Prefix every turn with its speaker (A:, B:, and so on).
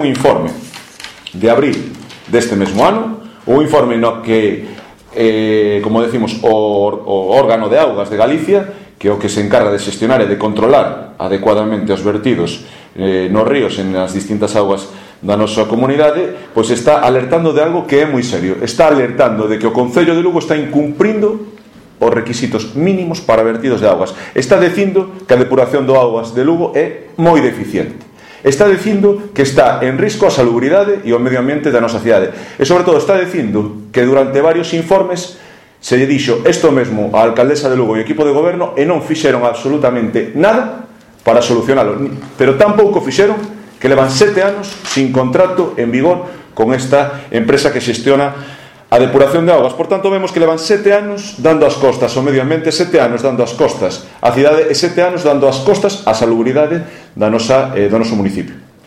A: un informe de abril deste mesmo ano, un informe no que, como decimos, o órgano de augas de Galicia, que é o que se encarga de xestionar e de controlar adecuadamente os vertidos nos ríos e nas distintas augas da nosa comunidade, pois está alertando de algo que é moi serio. Está alertando de que o Concello de Lugo está incumprindo os requisitos mínimos para vertidos de augas. Está dicindo que a depuración do augas de Lugo é moi deficiente. Está dicindo que está en risco a salubridade e o medio ambiente da nosa cidade. E, sobre todo, está dicindo que durante varios informes se lle dixo isto mesmo á alcaldesa de Lugo e o equipo de goberno e non fixeron absolutamente nada para solucionalo. Pero tampouco fixeron que levan 7 anos sin contrato en vigor con esta empresa que xestiona a depuración de augas. Por tanto, vemos que levan 7 anos dando as costas ao medio ambiente, 7 anos dando as costas á cidade e 7 anos dando as costas á salubridade do noso municipio.